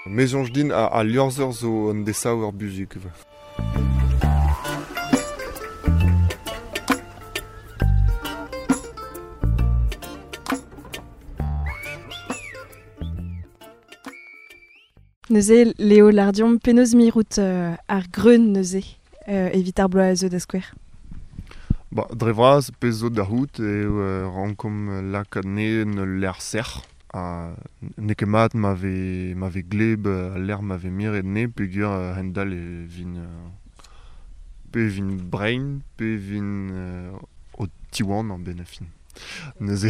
Me soñj din al liorzher zo un desaver buzhug. Neuze, Léo Lardion, penaos mirout ar greun neuze evit ar bloaz a zeu da skouer? Ba, dre vras, pezh zo da c'hoût eo rankomp lakaat anezhe en ul lec'h sec'h. Ha n'eo ket mat ma vez ma vez gleb al lec'h ma vez miret anezhe peogwir a-hend-all e vin pe e vin brein pe e vin o tiwanañ 'benn ar fin. Neuze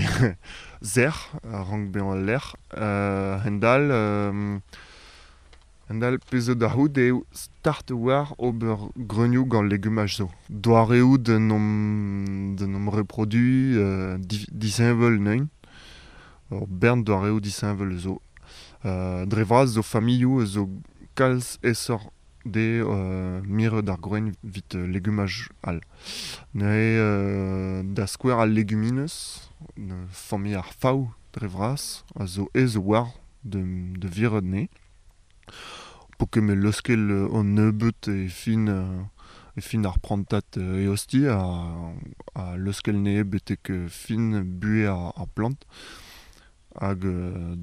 sec'h a rank bezañ al lec'h. A-hend-all a-hend-all pezh zo da c'hoût eo start a-walc'h ober greunioù gant legumaj zo. Doareoù d'en om d'en om reproduiñ disheñvel neuint. Ur bern doareoù disheñvel zo. Dre vras zo familhoù zo kalz aesoc'h dezhe mirout ar greun evit legumaj all. Neuze da skouer al leguminez, familh ar fav dre vras, a zo aes a-walc'h da virout anezhe. Po ket met leuskel an nebeud e fin e fin ar prantad eostiñ ha leuskel anezhe betek fin buhez ar plant hag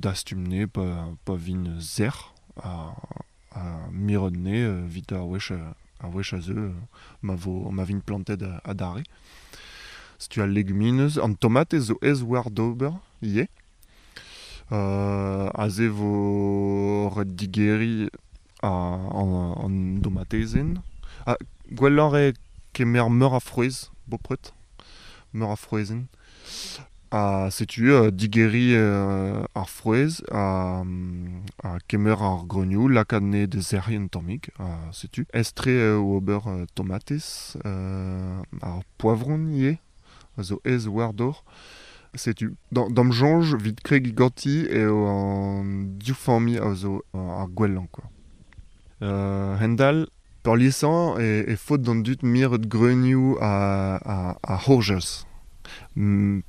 dastum anezhe pa vint sec'h ha mirout anezhe evit ar wech ar wech a zeu ma vo ma vint plantet adarre. Setu al leguminez, an tomatez zo aes war d'ober ivez. Aze vo ret digeriñ an domatezenn. Ha gwelloc'h eo kemer meur a frouezh bopred, meur a frouezhenn. Ha setu digeriñ ar frouezh ha kemer ar greunioù, lakaat anezhe da sec'hiñ un tammig ha setu. Aes-tre eo ober tomatez, ar poavron ivez a zo aes war d'ober. Setu, d'am soñj evit kregiñ ganti eo an div familh a zo ar gwellañ kwa. A-hend-all, peurliesañ e faot d'an dud mirout greunioù ar c'hourjez.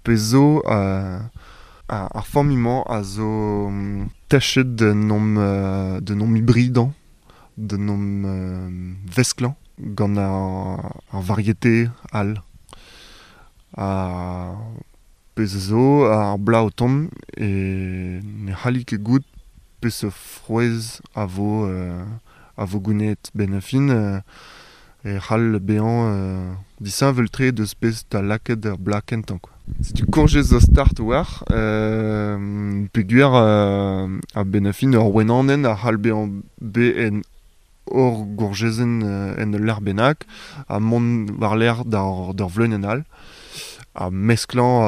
Pezh zo ar familh-mañ a zo techet d'en om d'en om hybridañ, d'en om vesklañ gant ar variete all. Ha pezh zo ar bloaz o tont e ne c'halli ket goût peseurt frouezh a vo a vo gounezet 'benn ar fin e c'hall bezañ disheñvel-tre deus pezh 'ta lakaet er bloaz kentañ kwa. Setu kourjez zo start a-walc'h peogwir a-benn ar fin ur wenanenn a c'hall bezañ bet en hor gourjezenn en ul lec'h bennak ha mont war-lerc'h d'ur vleunienn all ha mesklañ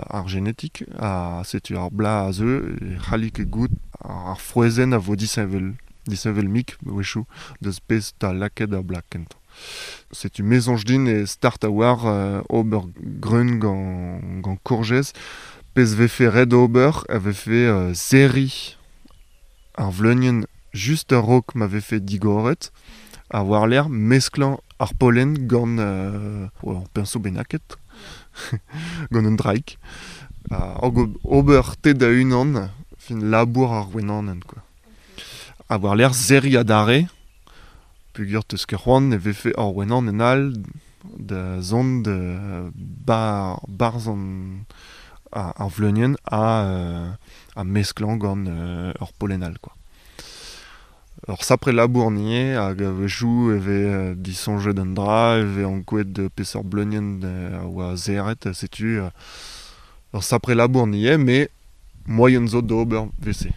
ar genetik ha setu ar bloaz a zeu e c'halli ket goût ar frouezhenn a vo disheñvel disheñvel-mik a-wechoù deus pezh 'ta lakaet ar bloaz kentañ. Setu me 'soñj din eo start a-walc'h ober greun gant kourjez. Pezh 'vefe ret ober a vefe serriñ ar vleunienn just a-raok ma vefe digoret ha war-lerc'h mesklañ ar pollen gant ur piñso bennaket gant un draig hag ober te da-unan fin labour ar wenanenn kwa. Ha war-lerc'h serriñ adarre peogwir 'teus ket c'hoant e vefe ur wenanenn all da zont da barzh ar vleunienn ha mesklañ gant ur pollen all kwa. Ur sapre labour ivez hag a-wechoù e vez disoñjet un dra, e vez ankouaet peseurt bleunienn a oa serret, setu ur sapre labour ivez met moaien zo d'ober 'vez-se.